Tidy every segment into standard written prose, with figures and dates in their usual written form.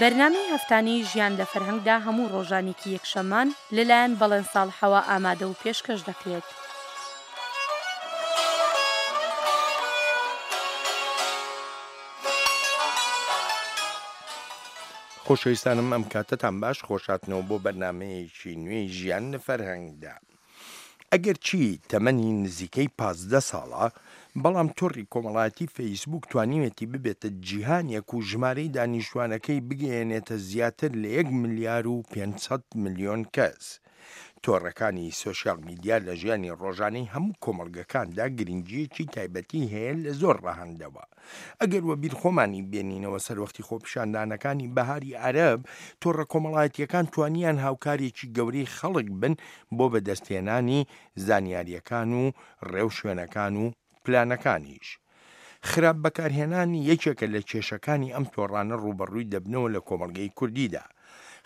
بەرنامەی هەفتانەی ژیان لە فەرهەنگدا هەموو ڕۆژانێکی یەکشەممان لەلایەن بەڵێن ساڵحەوە ئامادە و پێشکەش دەکرێت. خۆشەویستانم ئەم کاتەتان باش خۆشهاتنەوە بۆ بەرنامەیەکی نوێی ژیان لە فەرهەنگدا. ئەگەرچی تەمەنی نزیکەی 15 ساڵە، بەڵام تۆڕی کۆمەڵایەتی فەیسبووک توانیوێتی ببێتە جیهانێک و ژمارەی دانیشتوانەکەی بگەیەنێتە زیاتر لە یەک ملیار و 500 ملیۆن کەس. تۆڕەکانی سۆشیال میدیا لە ژیانی ڕۆژانەی هەموو کۆمەڵگەکاندا گرنگییەکی تایبەتی هەیە لە زۆر ڕەهەندەوە. ئەگەر وەبیر خۆمانی بێنینەوە سەروەختی خۆپیشاندانەکانی بەهاری عەرەب، تۆڕە کۆمەڵایەتییەکان توانیان هاوکارێکی گەورەی خەڵک بن بۆ بەدەستهێنانی زانیارییەکان و ڕێوشوێنەکان و پلانەکانیش. خراپ بەکارهێنان یەکێکە لە کێشەکانی ئەم تۆڕانە ڕووبەڕووی دەبنەوە لە کۆمەڵگەی کوردیدا.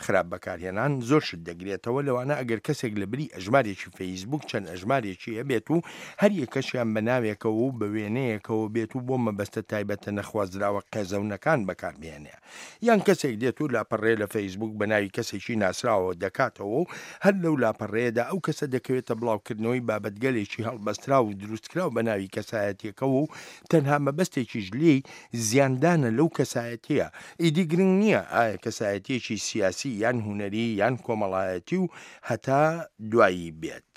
خراپ بەکارهێنان زۆر شت دەگرێتەوە لەوانە ئەگەر کەسێک لە بری ئەژمارێکی فەیسبووک چەند ئەژمارێکی هەبێت و هەر یەکەشیان بە ناوێکەوە و بە وێنەیەکەوە بێت و بۆ مەبەستە تایبەتە نەخوازراوە قێزەونەکان بەکاربهێنێ یان کەسێک دێت و لاپەڕەیە لە فەیسبووک بە ناوی کەسێکی ناسراوەوە دەکاتەوە و هەر لەو لاپەڕەیەدا ئەو کەسە دەکەوێتە بڵاوکردنەوەی بابەتگەلێکی هەڵبەستراو و دروستکراو بە ناوی کەسایەتیەکەوە و تەنها مەبەستێکیش لێی زیاندانە لەو کەسایەتیە، ئیدی گرنگ نییە ئایا کەسایەتیەکی سیاسی یان هونەری یان کۆمەڵایەتی و هەتا دوایی بێت.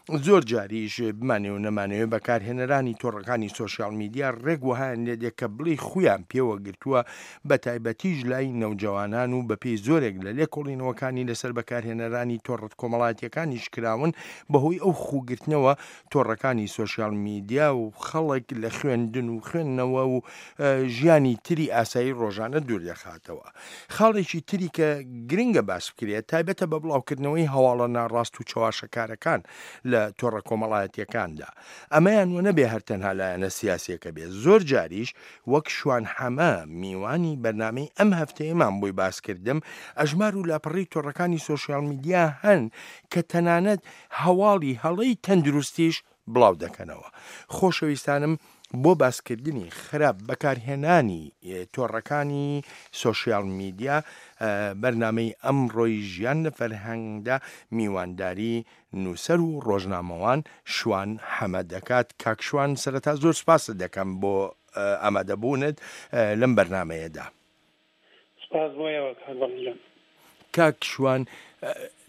زۆر جاریش بمانەوێ و نەمانەوێ بەکارهێنەرانی تۆڕەکانی سۆشیال میدیا ڕێک وەهایان لێ دێ کە بڵێی خویان پێوە گرتووە بەتایبەتیش لای نەوجەوانان و بەپێی زۆرێک لە لێکۆڵینەوەکانی لەسەر بەکارهێنەرانی تۆڕە کۆمەڵایەتیەکانیش کراون بەهۆی ئەو خووگرتنەوە تۆڕەکانی سۆشیال میدیا و خەڵک لە خوێندن و خوێندنەوە و ژیانی تری ئاسایی ڕۆژانە دوور دەخاتەوە. خاڵێکی تری کە گرنگە باس بکرێت تایبەتە بە بڵاوکردنەوەی هەواڵە ناڕاست و چەواشەکارەکان لە تۆڕە کۆمەڵایەتیەکاندا. ئەمەیان وە نەبێ هەر تەنها لایەنە سیاسیەکە بێ زۆر جاریش وەک شوان حەمە میوانی بەرنامەی ئەم هەفتەیەمان بۆی باس کردم ئەژمار و لاپەڕەی تۆڕەکانی سۆشیال میدیا هەن کە تەنانەت هەواڵی هەڵەی تەندروستیش بڵاو دەکەنەوە. خۆشەویستانم بۆ باسکردنی خراپ بەکارهێنانی تۆڕەکانی سۆشیال میدیا بەرنامەی ئەمڕۆی ژیان لە فەرهەنگدا میوانداری نووسەر و ڕۆژنامەوان شوان حەمە دەکات. کاک شوان سەرەتا زۆر سوپاست دەکەم بۆ ئامادەبوونت لەم بەرنامەیەدا. سپاس بۆ ئێوە کاک بەڵێن گیان. کاک شوان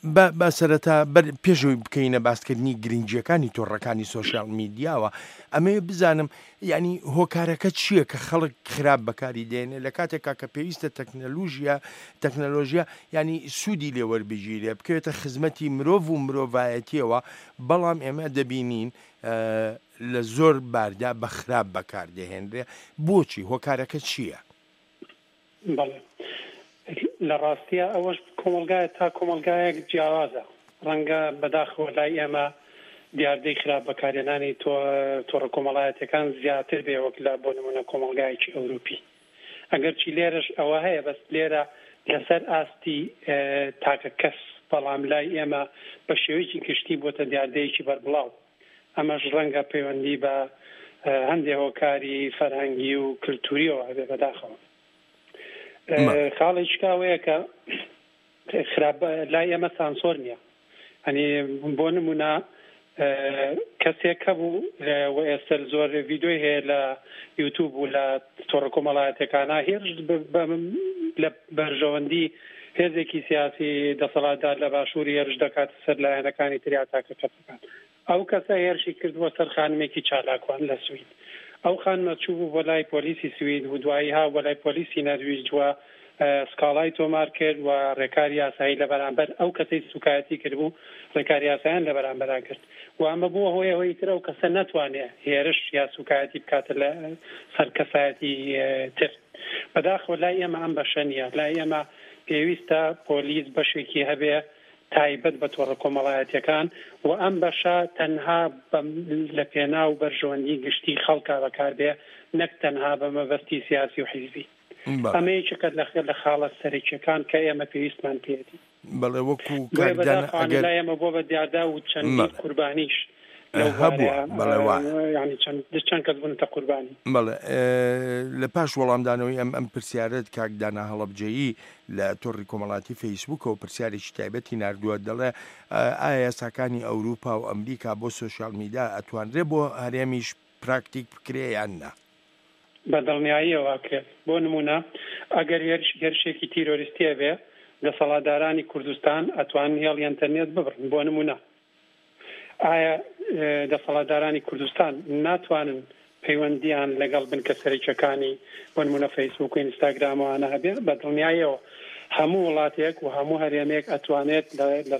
با با سەرەتا بەر پێش ئەوەی بکەینە باسکردنی گرنگییەکانی تۆڕەکانی سۆشیال میدیاوە ئەمەوێ بزانم یعنی هۆکارەکە چییە کە خەڵک خراپ بەکاری دێنێ لە کاتێکا کە پێویستە تەکنەلوژیا تەکنەلۆژیا یعنی سوودی لێ وەربگیرێ بکەوێتە خزمەتی مرۆڤ و مرۆڤایەتیەوە بەڵام ئێمە دەبینین لە زۆر باردا بە خراپ بەکاردەهێنرێ بۆچی هۆکارەکە چییە؟ بەڵێ لە ڕاستیا ئەوەش کۆمەڵگایە تا کۆمەڵگایەک جیاوازە ڕەنگە بەداخەوە لای ئێمە دیاردەی خراپ بەکارهێنانی تۆڕە کۆمەڵایەتیەکان زیاتر بێ وەک لە بۆ نمونە کۆمەڵگایەکی ئەوروپی ئەگەرچی لێرەش ئەوە هەیە بەس لێرە لەسەر ئاستی تاکە کەس بەڵام لای ئێمە بە شێوەیەکی گشتی بۆتە دیاردەیەکی بەربڵاو ئەمەش ڕەنگە پەیوەندی بە هەندێ هۆکاری فەرهەنگی و کلتوریەوە هەبێ بەداخەوە. خاڵێکی کە ئەوەیە کە خراپ لای ئێمە سانسۆر نییە ئەنی بۆ نمونە کەسێک هەبوو و ئێستر زۆر ڤیدۆی هەیە لە یوتوب و لە تۆڕە کۆمەڵایەتەکانە هێرش لە بەرژەوەندی هێزێکی سیاسی دەسەڵاتدار لە باشووری هێرش دەکات سەر لایەنەکانی تریا تاکە کەسەکان ئەو کەسە هێرشی کردبووە سەر خانمێکی چالاکوان لە سوید. ئەو خانمە چووبوو بۆ لای پۆلیسی سوید و دوایی ها بۆ لای پۆلیسی نەرویج و سکاڵای تۆمار کرد و ڕێکاری یاسایی لە بەرامبەر ئەو کەسەی سوکایەتی کردبوو ڕێکاری یاسایان لە بەرامبەرا گرت و ئەمە بووە هۆی ئەوەی تر ئەو کەسە نەتوانێ هێرش یا سوکایەتی بکاتە لە سەر کەسایەتی تر. بەداخەوە لای ئێمە ئەم بەشە نییە. لای ئێمە پێویستە پۆلیس بەشێکی هەبێ تایبەت بە تۆڕە کۆمەڵایەتیەکان و ئەم بەشە تەنها لە پێناو بەرژەوەندی گشتی خەڵکا بەکاربێ نەک تەنها بە مەبەستی سیاسی و حیزبی. ئەمە یەکێکە لە خاڵە سەرەکیەکان کە ئێمە پێویستمان پێیەتی. بەڵێ وەکو بۆیە بەداخەوانە لای ئێمە بۆ بە دیاردا و چەندین قوربانیش. لەو هەبووە بوارەیا بەڵێ وایە. یانی چەند چەند کەس بوونەتە قوربانی. بەڵێ لە پاش وەڵامدانەوەی ئەم ئەم پرسیارەت کاک دانا هەڵەبجەیی لە تۆڕی کۆمەڵاتی فەیسبووکەوە پرسیارێکی تایبەتی ناردووە دەڵێ ئایا یاساکانی ئەوروپا و ئەمریکا بۆ سۆشیال میدا ئەتوانرێ بۆ هەرێمیش پراکتیک بکرێ یان نا؟ بە دڵنیاییەوە ئەکرێت. بۆ نموونە ئەگەر هێرش هێرشێکی تیرۆریستی هەبێ دەسەڵاتدارانی کوردستان ئەتوانن هێڵی ئەنتەرنێت ببڕن بۆ نموونە. ئایا دەسەڵاتدارانی کوردستان ناتوانن پەیوەندییان لەگەڵ بنکە سەرەکیەکانی بۆ نموونە فەیسبووک و ئینستاگرام و ئەوانە هەبێ؟ بە دڵنیاییەوە هەموو وڵاتێک و هەموو هەرێمێک ئەتوانێت لە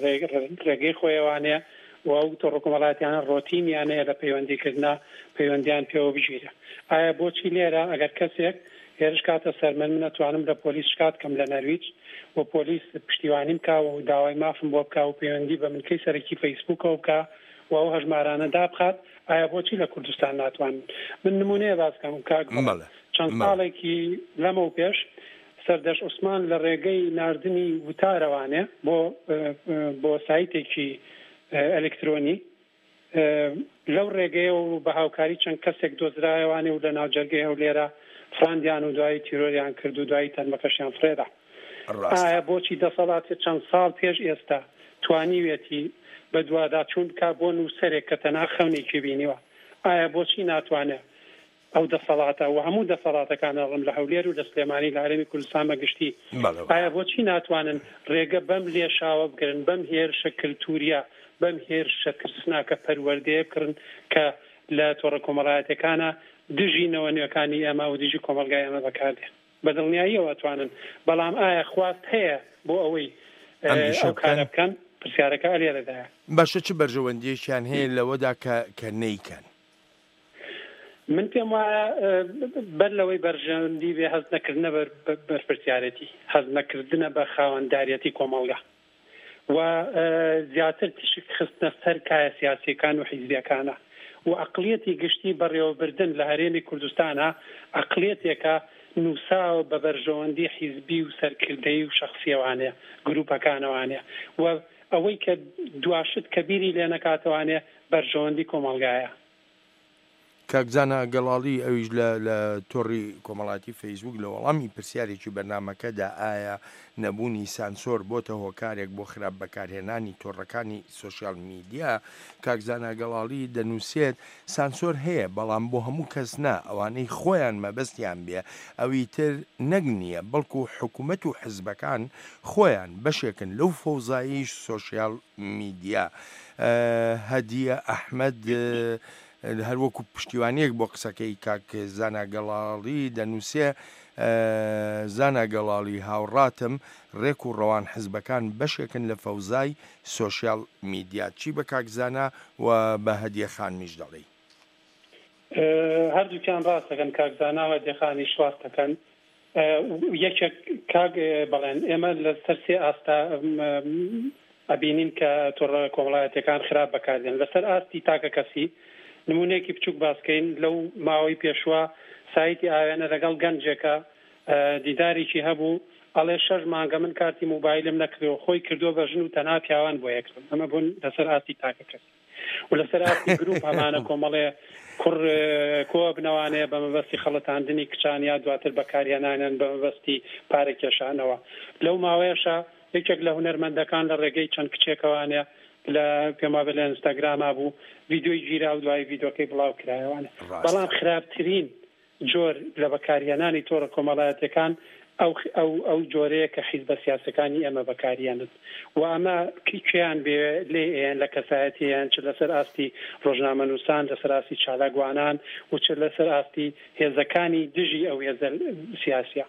ڕێگەی خۆیەوانێ و ئەو تۆڕە کۆمەڵایەتیانە ڕۆتینیان هەیە لە پەیوەندیکردنا پەیوەندیان پێوە بگیرێ. ئایا بۆچی لێرە ئەگەر کەسێک هێرش کاتە سەر من، من ئەتوانم لە پۆلیس شکات کەم لە نەرویج و پۆلیس پشتیوانیم کا و داوای مافم بۆ بکا و پەیوەندی بە بنکەی سەرەکی فەیسبووکەوە بکا و ئەو هەژمارانە دابخات، ئایا بۆچی لە کوردستان ناتوانن؟ من نموونەیە باس کەم کاک بەڵێن بەڵێ چەند بەڵێ. ساڵێکی لەمەو پێش سەردەشت عوسمان لە ڕێگەی ناردنی وتارەوانێ بۆ بۆ سایتێکی ئەلکترۆنی لەو ڕێگەیەوە و بە هاوکاری چەند کەسێک دۆزرایەوانێ و لە ناوجەرگەی هەولێرا فڕاندیان و دوایی تیرۆریان کرد و دوایی تەرمەکەشیان فڕێدا. ڕاستە. ئایا بۆچی دەسەڵات چەند ساڵ پێش ئێستا توانیویەتی بەدواداچوون بکا بۆ نووسەرێک کە تەنها خەونێکی بینیوە؟ ئایا بۆچی ناتوانێ ئەو دەسەڵاتە و هەموو دەسەڵاتەکان ئەڵێم لە هەولێر و لە سلێمانی لە هەرێمی کوردستان بە گشتی بەڵێ ئایا بۆچی ناتوانن ڕێگە بەم لێشاوە بگرن بەم هێرشە کلتوریە بەم هێرشە ترسناکە پەروەردەیە بکڕن کە لە تۆڕە کۆمەڵایەتەکانە دژی نەوە نوێکانی ئێمە و دژی کۆمەڵگای ئێمە بەکاردێ بە دڵنیاییەوە ئەتوانن بەڵام ئایا خواست هەیە بۆ ئەوەی ئەم ئیشە ئەو بکەن؟ کارە بکەن پرسیارەکە ئەلێرەدایە. باشە چ بەرژەوەندیەکیان هەیە لەوەدا کە کە نەیکەن؟ من پێم وایە بەر لەوەی بەرژەوەندی بێ هەست نەکردنە بەرپرسیارێتی، هەست نەکردنە بە خاوەنداریەتی کۆمەڵگا و زیاتر تیشک خستنە سەر کایە سیاسیەکان و حیزبیەکانە و ئەقڵیەتی گشتی بەڕێوەبردن لە هەرێمی کوردستانا ئەقڵیەتێکە نووساوە بە بەرژەوەندی حیزبی و سەرکردەیی و شەخسیەوانێ گروپەکانەوانێ و ئەوەی کە دواشت کە بیری لێنەکاتەوانێ بەرژەوەندی کۆمەڵگایە. کاک زانا گەڵاڵی ئەویش لە لە تۆڕی کۆمەڵاتی فەیسبووک لە وەڵامی پرسیارێکی بەرنامەکەدا ئایا نەبوونی سانسۆر بۆتە هۆکارێک بۆ خراپ بەکارهێنانی تۆڕەکانی سۆشیال میدیا کاک زانا گەڵاڵی دەنووسێت سانسۆر هەیە بەڵام بۆ هەموو کەس نا ئەوانەی خۆیان مەبەستیان بێ ئەوی تر نەک نییە بەڵکو حکومەت و حزبەکان خۆیان بەشێکن لەو فەوزایی سۆشیال میدیا هەدیە ئەحمەد هەروەکو پشتیوانیەک بۆ قسەکەی کاک زانا گەڵاڵی دەنووسێ زانا گەڵاڵی هاوڕاتم ڕێک و ڕەوان حزبەکان بەشێکن لە فەوزای سۆشیال میدیا چی بە کاک زانا و بە هەدیە خانمیش دەڵێی؟ هەردووکیان ڕاست دەکەن کاک زانا و هەدیە خانیش ڕاست دەکەن یەکێک کاک بەڵێن ئێمە لەسەر سێ ئاستا ئەبینین کە تۆڕە کۆمەڵایەتیەکان خراپ بەکاردێن لەسەر ئاستی تاکە کەسی نمونەیەکی بچوک باسکەین لەو ماوەی پێشوە سایتی ئاوێنە لەگەڵ گەنجێکە دیدارێکی هەبوو ئەڵێ شەش مانگە من کارتی موبایلم نەکڕیوە خۆی کردووە بە ژن و تەنها پیاوان بۆ یەکڕن ئەمە بوون لەسەر ئاستی تاکە کەسی و لەسەر ئاستی گروپ هەمانە کۆمەڵێ کوڕ کۆبنەوانێ بە مەبەستی خەڵەتاندنی کچان یا دواتر بەکارهێنانیان بە مەبەستی پارە کێشانەوە لەو ماوەیەشا یەکێک لە هونەرمەندەکان لە ڕێگەی چەند کچێکەوانێ لە پێم وابێ لە ئینستاگراما بوو ڤیدیۆی گیرا و دوایی ڤیدۆکەی بڵاو کرایەوانێ بەڵام خراپترین جۆر لە بەکارهێنانی تۆڕە کۆمەڵایەتیەکان ئەو ئەو ئەو جۆرەیە کە حیزبە سیاسەکانی ئێمە بەکاریەنن و ئەمە کێیان بێ لێی ئەیەن لە کەسایەتی ئەیەن چ لەسەر ئاستی ڕۆژنامەنووسان لەسەر ئاستی چالاکوانان و چ لەسەر ئاستی هێزەکانی دژی ئەو هێزە سیاسیە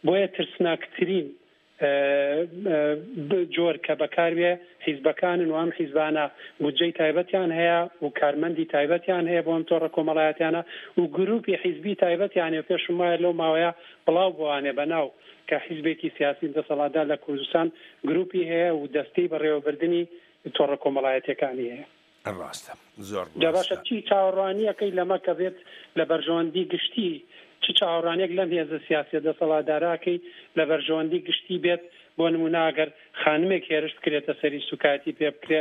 بۆیە ترسناکترین جۆر کە بەکاربێ حیزبەکانن و ئەم حیزبانە بودجەی تایبەتیان هەیە و کارمەندی تایبەتیان هەیە بۆ ئەم تۆڕە کۆمەڵایەتیانە و گروپی حیزبی تایبەتیان هەیە پێشم وایە لەو ماوەیە بڵاو بۆوانێ بە ناو کە حیزبێکی سیاسی دەسەڵاتدار لە کوردستان گروپی هەیە و دەستەی بەڕێوەبردنی تۆڕە کۆمەڵایەتیەکانی هەیە. ڕاستە زۆر جا باشە ڕاستە. چی چاوەڕوانیەکەی لەمە کە بێت لە بەرژەوەندی گشتی چ چاوەڕوانیەک لەم هێزە سیاسیە دەسەڵاتدارە ئەکەی لە بەرژەوەندی گشتی بێت بۆ نمونە ئەگەر خانمێک هێرش بکرێتە سەری سوکایەتی پێ بکرێ.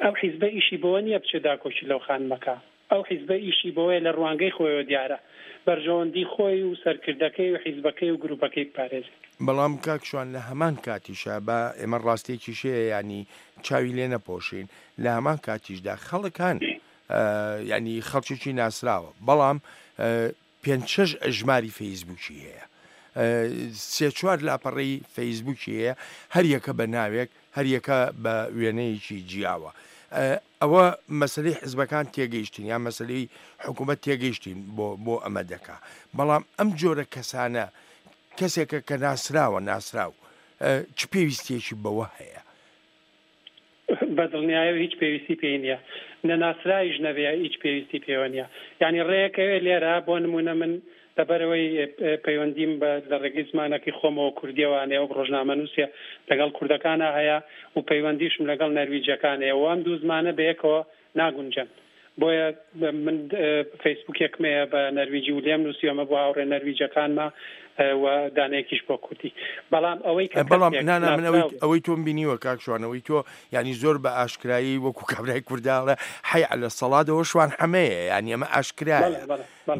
ئەو حیزبە ئیشی بەوە نییە بچێ داکۆکی لەو خانمە کا. ئەو حیزبە ئیشی بەوەیە لە ڕوانگەی خۆیەوە دیارە بەرژەوەندی خۆی و سەرکردەکەی و حیزبەکەی و گروپەکەی بپارێزێت. بەڵام کاک شوان لە هەمان کاتیشا با ئێمە ڕاستیەکیش هەیە یانی چاوی لێ نەپۆشین لە هەمان کاتیشدا خەڵک هەن یانی خەڵکێکی ناسراوە بەڵام پێنج شەش ئەژماری فەیسبووکی هەیە سێ چوار لاپەڕەی فەیسبووکی هەیە هەر یەکە بە ناوێک هەر یەکە بە وێنەیەکی جیاوە ئەوە مەسەلەی حزبەکان تێگەیشتن یان مەسەلەی حکوومەت تێگەیشتین بۆ بۆ ئەمە دەکا بەڵام ئەم جۆرە کەسانە کەسێکە کە ناسراوە ناسراو چ پێویستیەکی بەوە هەیە؟ بە دڵنیایەوە هیچ پێویستی پێی نییە نەناسراویش نەبێ هیچ پێویستی پێوە نییە یانی ڕێیەکەوێ لێرە بۆ نموونە من لەبەرئەوەی پەیوەندیم بە لە ڕێگەی زمانەکەی خۆمەوە کوردیەوە هەیە وەک ڕۆژنامەنووسێ لەگەڵ کوردەکانا هەیە و پەیوەندیشم لەگەڵ نەرویجیەکان هەیە و ئەم دوو زمانە بەیەکەوە ناگونجێن بۆیە من فەیسبووکێکم هەیە بە نەرویجی و لێم نووسیوە ئەمە بۆ هاوڕێ نەرویجەکانمە و دانەیەکیش بۆ کوردی بەڵام ئەوەی کە بەڵام نا نا من ئەوەی ئەوەی تۆم بینیوە کاک شوان ئەوەی تۆ یانی زۆر بە ئاشکرایی وەکو کابرای کورداڵێ حەی عەلە سەڵادەوە شوان حەمەیە یانی ئەمە ئاشکرایە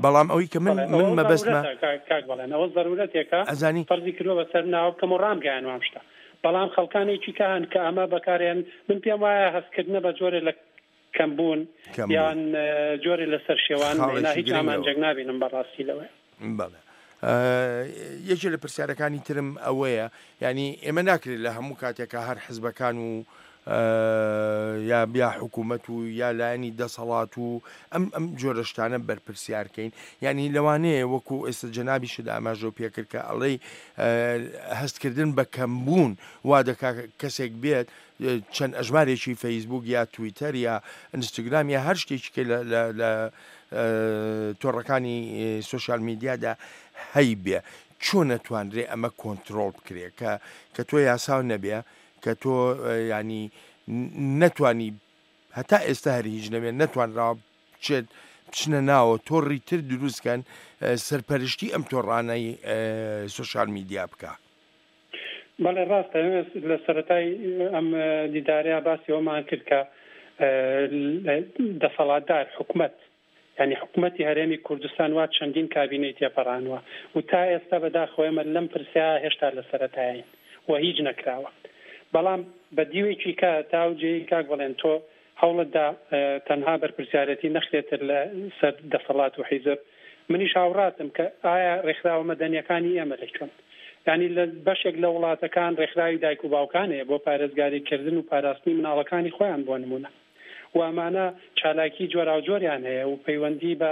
بەڵام ئەوەی کە من من مەبەستمە کاک بەڵێن ئەوە زەرورەتێکە ئەزانی فەرزی کردووە بەسەر ناوە بکەم و ڕامگەیانوە ئەم شتە بەڵام خەڵکانێکی کە هەن کە ئەمە بەکارێن من پێم وایە هەستکردنە بە جۆرێ لە کەمبوون یان جۆرێ لە سەرشێوان نا هیچ ئامانجێک نابینم بەڕاستی لەوەیە. بەڵێ یەکێ لە پرسیارەکانی ترم ئەوەیە یعنی ئێمە ناکرێت لە هەموو کاتێکا هەر حزبەکان و یا یا حکوومەت و یا لایەنی دەسەڵات و ئەم ئەم جۆرە شتانە بەرپرسیارکەین یعنی لەوانەیە وەکو ئێستا جەنابیشت ئاماژەو پێکرد کە ئەڵێی هەستکردن بە کەمبوون وا دەکا کەسێک بێت چەند ئەژمارێکی فەیسبوک یا تویتەر یا ئینستاگرام یا هەر شتێکی کە لە تۆڕەکانی سۆشیال میدیادا هەیبێ چۆن نەتوانرێ ئەمە کۆنتترۆل بکرێ کە کە تۆ یاساو نەبێ کە تۆ ینی نەتوانی هەتا ئێستا هەر هیچ نەبێ نەتوانراوە بچێت بچنە ناوە تۆڕی تر دروستکەن سەرپەرشتی ئەم تۆڕانەی سۆشیال میدیا بکە. بەڵێ ڕاستە لە سەرەتای ئەم دیدارەیا باسی ئەوەمان کرد کە دەسەڵاتدار حکومەت یانی حکومەتی هەرێمی کوردستان وا چەندین کابینەی تێپەڕانوە و تا ئێستا بەداخەوە ئێمە لەم پرسە هێشتا لە سەرەتایین و هیچ نەکراوە بەڵام بە دیوێکی کە تا ئەو جێی کاک بەڵێن تۆ هەوڵت دا تەنها بەرپرسیارێتی نەخرێتە لە سەر دەسەڵات و حیزب منیش هاوڕاتم کە ئایا ڕێکخراوە مەدەنیەکانی ئێمە لە کوێن یانی لە بەشێک لە وڵاتەکان ڕێکخراوی دایک و باوکان هەیە بۆ پارێزگاری کردن و پاراستنی مناڵەکانی خۆیان بۆ نمونە و ئەمانە چالاکی جۆراوجۆریان هەیە و پەیوەندی بە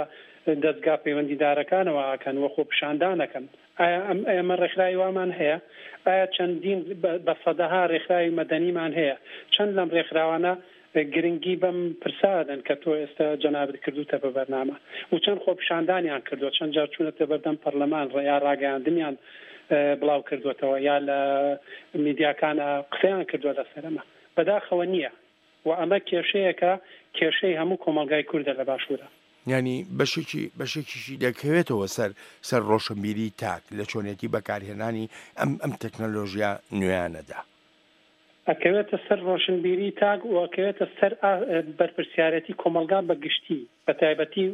دەزگا پەیوەندیدارەکانەوە ئەکەن و خۆپیشاندان ئەکەن. ئایا ئەم ئێمە ڕێکخراوی وامان هەیە؟ ئایا چەندین بە سەدەها ڕێکخراوی مەدەنیمان هەیە؟ چەند لەم ڕێکخراوانە گرنگی بەم پرسە ئەدەن کە تۆ ئێستا جەنابت کردووتە بە بەرنامە و چەند خۆپیشاندانیان کردووە، چەند جار چوونەتە بەردەم پەرلەمان یا ڕاگەیاندنیان بڵاو کردووەتەوە یا لە میدیاکانا قسەیان کردووە لەسەر ئەمە؟ بەداخەوە نییە. و ئەمە کێشەیەکە کێشەی هەموو کۆمەڵگای کوردە لە باشوورا. یانی بەشێکی بەشێکیشی دەکەوێتەوە سەر سەر ڕۆشنبیری تاک لە چۆنێتی بەکارهێنانی ئەم ئەم تەکنەلۆژیا نوێیانەدا. ئەکەوێتە سەر ڕۆشنبیری تاک و ئەکەوێتە سەر بەرپرسیارێتی کۆمەڵگا بە گشتی بە تایبەتی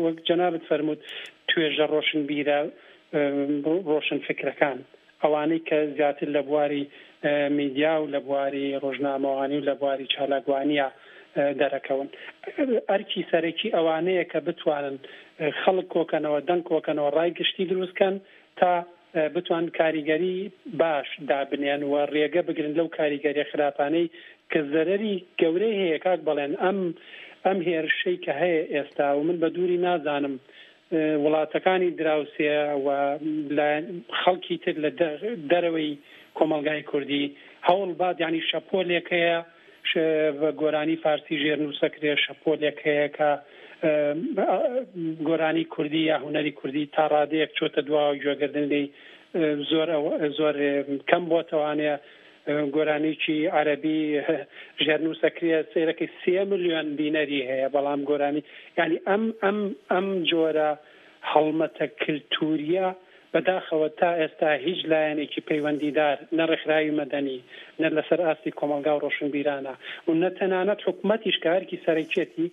وەک جەنابت فەرمووت توێژە ڕۆشنبیرە ڕۆشنفکرەکان ئەوانەی کە زیاتر لە بواری میدیا و لە بواری ڕۆژنامەوانی و لە بواری چالاکوانییە دەرەکەون. ئەرکی سەرەکی ئەوانەیە کە بتوانن خەڵک کۆکەنەوە، دەنگ کۆکەنەوە، ڕای گشتی دروست کەن تا بتوانن کاریگەری باش دابنێن و ڕێگە بگرن لەو کاریگەریە خراپانەی کە زەرەری گەورەی هەیە کاک بەڵێن ئەم ئەم هێرشەی کە هەیە ئێستا و من بە دووری نازانم وڵاتەکانی دراوسێ و خەڵکی تر لە دەرەوەی کۆمەڵگای کوردی هەوڵ بات یانی شەپۆلێک هەیە بە گۆرانی فارسی ژێرنووسەکرێ شەپۆلێک هەیە کە گۆرانی کوردی یا هونەری کوردی تا ڕادەیەک چۆتە دواوە گوێگردن لێی زۆر زۆر کەم بۆتەوانەیە گۆرانیی عەرەبی ژێرنووسەکرێ سەیرەکەی سێ ملیۆن بینەری هەیە بەڵام گۆرانی یانی ئەم ئەم ئەم جۆرە هەڵمەتە کلتوریە بەداخەوە تا ئێستا هیچ لایەنێکی پەیوەندیدار نە ڕێکخراوی مەدەنی نە لەسەر ئاستی کۆمەڵگا و ڕۆشنبیرانە و نە تەنانەت حکومەتیش کە ئەرکی سەرەکیەتی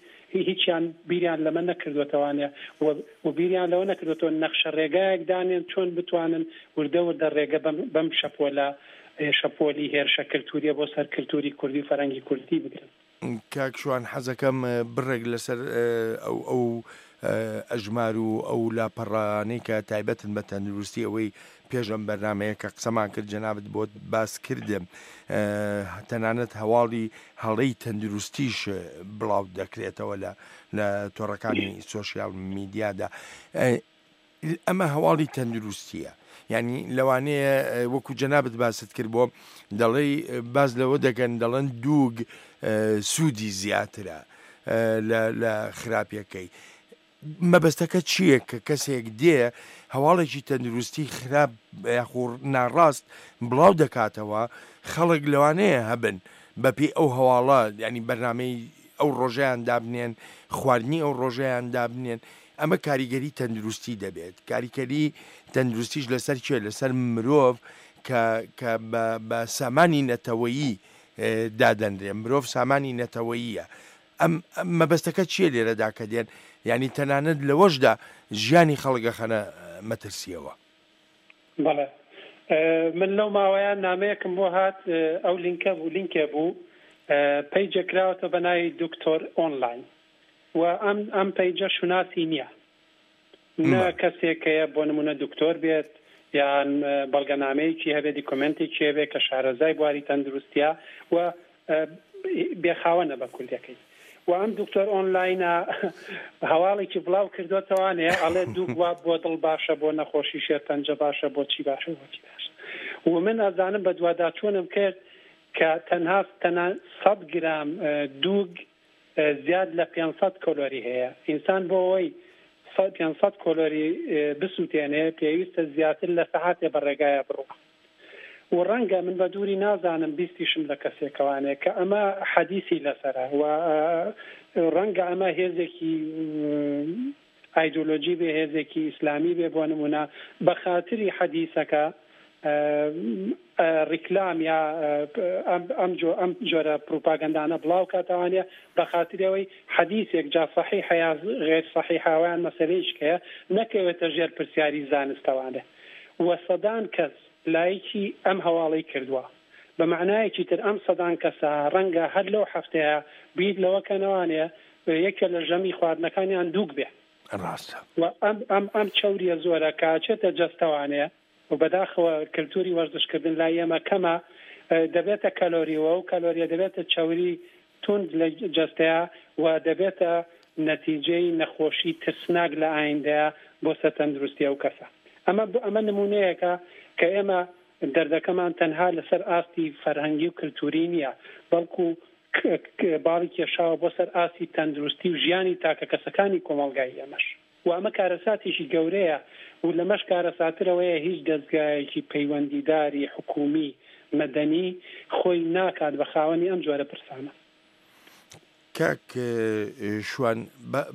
هیچیان بیریان لەمە نەکردوەتەوانێ و و بیریان لەوە نەکردوەتەوە نەخشە ڕێگایەک دانێن چۆن بتوانن وردە وردە ڕێگە بەم بەم شەپۆلە شەپۆلی هێرشە کلتوریە بۆ سەر کلتوری کوردی و فەرهەنگی کوردی بگرن. کاک شوان حەزەکەم بڕێک لەسەر ئەو ئەو ئەژمار و ئەو لاپەڕانەی کە تایبەتن بە تەندروستی ئەوەی پێش ئەم بەرنامەیە کە قسەمان کرد جەنابت بۆت باس کردم تەنانەت هەواڵی هەڵەی تەندروستیش بڵاو دەکرێتەوە لە لە تۆڕەکانی سۆشیال میدیادا ئەمە هەواڵی تەندروستیە یعنی لەوانەیە وەکو جەنابت باست کرد بۆ دەڵێی باز لەوە دەکەن دەڵێن دووگ سوودی زیاترە لە خراپیەکەی مەبەستەکە چییە کە کەسێک دێ هەواڵێکی تەندروستی خراپ یاخۆ ناڕاست بڵاو دەکاتەوە خەڵک لەوانەیە هەبن بەپێی ئەو هەواڵە ینی بەرنمەی ئەو ڕۆژەیان دابنێن خواردنی ئەو ڕۆژەیان دابنێن ئەمە کاریگەری تەندروستی دەبێت کاریکەری تەندروستیش لەسەر کێ لەسەر مرۆڤ کە کە بە بە سامانی نەتەوەیی دادەنرێ مرۆڤ سامانی نەتەوەییە ئەم مەبەستەکە چییە لێرەدا کە دێن یعنی تەنانەت لەوەشدا ژیانی خەڵک ئەخەنە مەترسیەوە. بەڵێ من لەو ماوەیە نامەیەکم بۆ هات ئەو لینکە بوو لینکێ بوو پەیجێک کراوەتەوە بە ناوی دکتۆر ئۆنلاین و ئەم ئەم پەیجە شوناسی نییە نە کەسێک هەیە بۆ نمونە دکتۆر بێت یان بەڵگەنامەیەکی هەبێت دیکۆمێنتێکی هەبێت کە شارەزای بواری تەندروستیە و بێخاوەنە بە کوردەکەی و ئەم دکتۆر ئۆنلاینە هەواڵێکی بڵاو کردوتەوانێ ئەڵێ دوو گوا بۆ دڵ باشە بۆ نەخۆشی شێرپەنجە باشە بۆ چی باشە بۆ چی باشە و من ئەزانم بەدواداچوونم کرد کە تەنها تەنها 100 گرام دووگ زیاد لە 500 کۆلۆری هەیە. ئینسان بۆ ئەوەی 500 کۆلۆری بسووتێنێ پێویستە زیاتر لە سەعاتێ بە ڕێگایا بڕوا. و ڕەنگە من بە دووری نازانم بیستیشم لە کەسێکەوانێ کە ئەمە حەدیسی لەسەرە و ڕەنگە ئەمە هێزێکی ئایدۆلۆجی بێ هێزێکی ئیسلامی بێ بۆ نمونە بە خاتری حەدیسەکە ڕیکلام یا ئەم جۆ ئەم جۆرە پروپاگەندانە بڵاو کاتەوانە بە خاتری ئەوەی حەدیسێک جا سەحیحە یا غێر سەحیحە ئەویان مەسەلەیش هەیە نەکەوێتە ژێر پرسیاری زانستەوانە و سەدان کەس لایکی ئەم هەواڵەی کردووە بە مەعنایەکی تر ئەم سەدان کەسە ڕەنگە هەر لەو هەفتەیە بیر لەوە کەنەوانێ یەکێ لە ژەمی خواردنەکانیان دووگ بێ. ڕاستە. و ئەم ئەم ئەم چەوریە زۆرە کە ئەچێتە جەستەوانێ و بەداخەوە کلتوری وەرزش کردن لای ئێمە کەمە دەبێتە کەلۆری و ئەو کەلۆریە دەبێتە چەوری توند لە جەستەیا و دەبێتە نەتیجەی نەخۆشی ترسناک لە ئایندەیا بۆ سەر تەندروستی ئەو کەسە. ئەمە ئەمە نمونەیەکە کە ئێمە دەردەکەمان تەنها لەسەر ئاستی فەرهەنگی و کلتوری نیە بەڵکو باڵی کێشاوە بۆ سەر ئاستی تەندروستی و ژیانی تاکەکەسەکانی کۆمەڵگای ئێمەش. و ئەمە کارەساتێکی گەورەیە و لەمەش کارەساتر ئەوەیە هیچ دەزگایەکی پەیوەندیداری حکوومی، مەدەنی خۆی ناکات بە خاوەنی ئەم جۆرە پرسانە. کاک شوان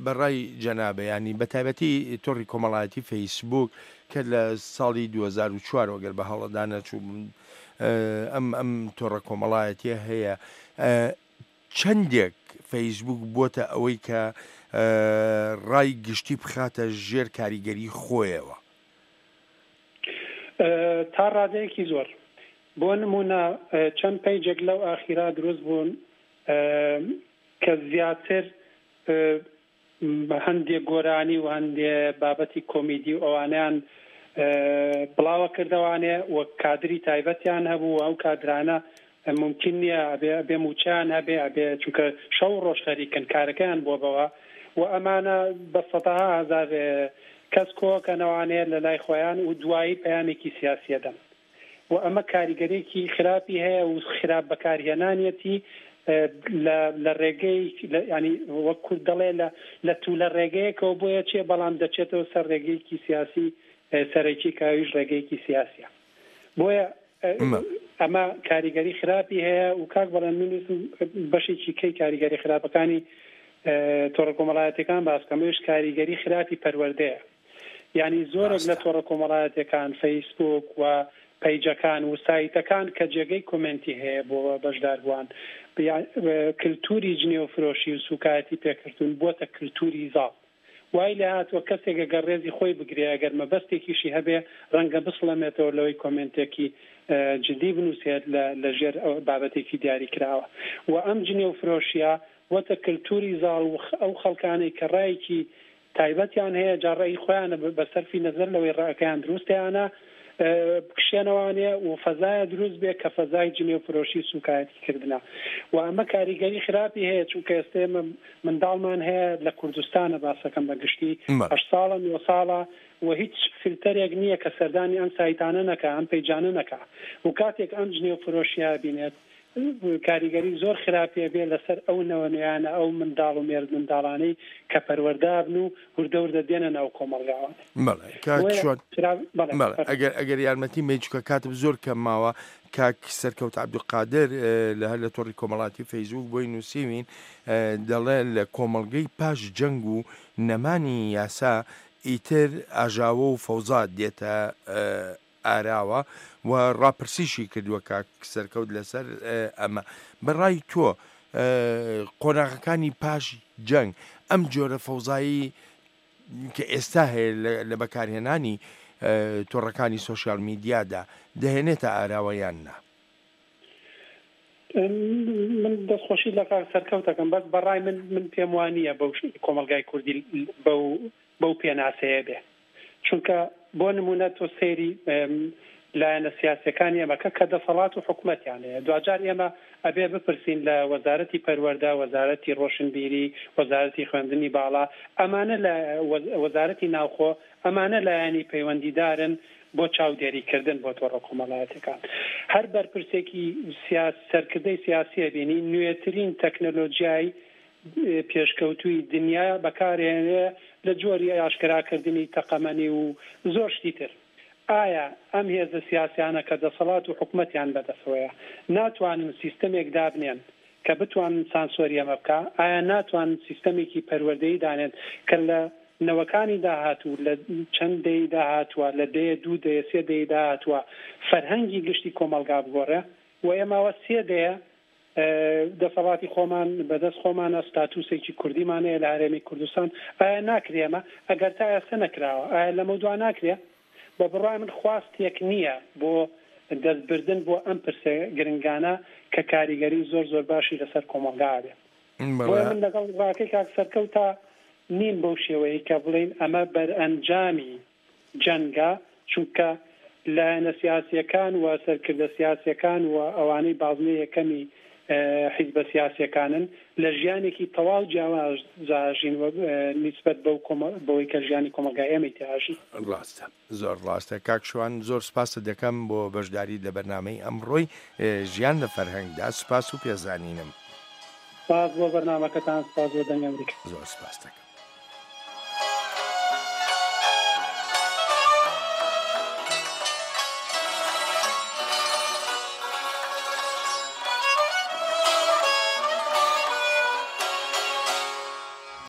بە ڕای جەنابە یانی بە تایبەتی تۆڕی کۆمەڵایەتی فەیسبووک کە لە ساڵی 2004 وە گەر بە هەڵەدا نەچووبم ئەم ئەم تۆڕە کۆمەڵایەتیە هەیە چەندێک فەیسبووک بۆتە ئەوەی کە ڕای گشتی بخاتە ژێر کاریگەری خۆیەوە؟ تا ڕادەیەکی زۆر. بۆ نموونە چەند پەیجێک لەو ئاخیرا دروست بوون کە زیاتر هەندێ گۆرانی و هەندێ بابەتی کۆمیدی و ئەوانەیان بڵاوە کردەوانێ و کادری تایبەتیان هەبوو و ئەو کادرانە مومکین نییە ئەبێ ئەبێ مووچەیان هەبێ ئەبێ چونکە شەو و ڕۆژ خەریکن کارەکەیان بووە بەوە و ئەمانە بە سەدەها هەزار کەس کۆکەنەوانێ لە لای خۆیان و دوایی پەیامێکی سیاسیە دەن. و ئەمە کاریگەریەکی خراپی هەیە و خراپ بەکارهێنانیەتی لە لە ڕێگەی ینی وەک کورد دەڵێ لە لە تولە ڕێگەیەکەوە بۆیە چێ بەڵام دەچێتەوە سەر ڕێگەیەکی سیاسی سەرەکی کە ئەویش ڕێگەیەکی سیاسیە بۆیە ئەمە کاریگەری خراپی هەیە و کاک بەڵێن من ویستم بەشێکی کەی کاریگەری خراپەکانی تۆڕە کۆمەڵایەتەکان باس کەم ئەویش کاریگەری خراپی پەروەردەیە. یانی زۆرێک لە ڕاستە. تۆڕە کۆمەڵایەتیەکان، فەیسبووک و پەیجەکان و سایتەکان کە جێگەی کۆمێنتی هەیە بۆ بەشداربووان، کلتوری جنێو فرۆشی و سوکایەتی پێکردن بووەتە کلتوری زاڵ. وای لێهاتووە کەسێک ئەگەر ڕێزی خۆی بگرێ، ئەگەر مەبەستێکیشی هەبێ، ڕەنگە بسڵەمێتەوە لەوەی کۆمێنتێکی جدی بنووسێت لە لە ژێر بابەتێکی دیاری کراوە. و ئەم جنێو فرۆشیە بووەتە کلتوری زاڵ و ئەو خەڵکانەی کە ڕایەکی تایبەتیان هەیە جا ڕەئی خۆیانە بە سەرفی نەزەر لەوەی ڕەئەکەیان دروستە یان نا بکشێنەوانێ و فەزایە دروست بێ کە فەزای جنێو فرۆشی و سوکایەتی کردنە و ئەمە کاریگەری خراپی هەیە چونکە ئێستا ئێمە منداڵمان هەیە لە کوردستانە باسەکەم بە گشتی بەڵێ. هەشت ساڵە نۆ ساڵە و هیچ فلتەرێک نییە کە سەردانی ئەم سایتانە نەکا ئەم پەیجانە نەکا و کاتێک ئەم جنێو فرۆشیە بینێت کاریگەری زۆر خراپی ئەبێ لەسەر ئەو نەوە نوێیانە، ئەو منداڵ و مێرد منداڵانەی کە پەروەردە ئەبن و وردە وردە دێنە ناو کۆمەڵگاوە. بەڵێ کاک بۆیە شوان خراپ بەڵێ بەڵێ فەرموو. ئەگەر ئەگەر یارمەتیم بەی چونکە کاتم زۆر کەم ماوە کاک سەرکەوت عەبدولقادر لە هەر لە تۆڕی کۆمەڵاتی فەیسبووک بۆی نووسیوین دەڵێ لە کۆمەڵگەی پاش جەنگ و نەمانی یاسا ئیتر ئاژاوە و فەوزا دێتە ئاراوە و ڕاپرسیشی کردووە کاک سەرکەوت لەسەر ئەمە. بە ڕای تۆ قۆناغەکانی پاش جەنگ ئەم جۆرە فەوزایی کە ئێستا هەیە لە بەکارهێنانی تۆڕەکانی سۆشیال میدیادا دەهێنێتە ئاراوە یان نا؟ من دەستخۆشی لە کاک سەرکەوت دەکەم بەس بەڕای من من پێم وانییە بەو کۆمەڵگای کوردی بەو بەو پێناسەیە بێ چونکە بۆ نمونە تۆ سەیری لایەنە سیاسیەکانی ئێمە کە کە دەسەڵات و حکومەتیان هەیە دواجار ئێمە ئەبێ بپرسین لە وەزارەتی پەروەردە وەزارەتی ڕۆشنبیری وەزارەتی خوێندنی باڵا ئەمانە لە وەزارەتی ناوخۆ ئەمانە لایەنی پەیوەندیدارن بۆ چاودێری کردن بۆ تۆڕە کۆمەڵایەتیەکان هەر بەرپرسێکی سیاس سەرکردەی سیاسیە بینی نوێترین تەکنەلۆجیای پێشکەوتووی دنیا بەکارهێنرێ لە جۆری ئاشکراکردنی تەقەمەنی و زۆر شتی تر. ئایا ئەم هێزە سیاسیانە کە دەسەڵات و حکومەتیان بەدەسەوەیە ناتوانن سیستەمێک دابنێن کە بتوانن سانسۆری ئەمە بکا؟ ئایا ناتوانن سیستەمێکی پەروەردەیی دانێن کە لە نەوەکانی داهاتوو لە چەند دەیەی داهاتووە لە دەیە دوو دەیە سێ دەیەی داهاتووە فەرهەنگی گشتی کۆمەڵگا بگۆڕێ؟ و ئێمە ئەوە سێ دەیە دەسەڵاتی خۆمان بەدەست خۆمانە، ستاتوسێکی کوردیمان هەیە لە هەرێمی کوردستان، ئایا ناکرێ ئەمە؟ ئەگەر تا ئێستا نەکراوە، ئایا لەمەودوا ناکرێ؟ بە بڕوای من خواستێک نییە بۆ دەستبردن بۆ ئەم پرسە گرنگانە کە کاریگەری زۆر زۆر باشی لەسەر کۆمەڵگا ئەبێت. بۆیە من لەگەڵ ڕاکەی کاک سەرکەوتا نیم بەو شێوەیەی کە بڵێین ئەمە بەرئەنجامی جەنگە، چونکە لایەنە سیاسییەکان و سەرکردە سیاسییەکان و ئەوانەی بازنەی یەکەمی حیزبە سیاسییەکانن لە ژیانێکی تەواو جیاوازدا ئەژین و نیسبەت بەو بەوەی کە ژیانی کۆمەڵگای ئێمەی تیا ئەژی. ڕاستە زۆر ڕاستە کاک شوان زۆر سپاست دەکەم بۆ بەشداریت لە بەرنامەی ئەمڕۆی ژیان لە فەرهەنگدا سپاس و پێزانینم. سپاس بۆ بەرنامەکەتان سپاس بۆ دەنگی ئەمریکا. زۆر سپاست دەکەم.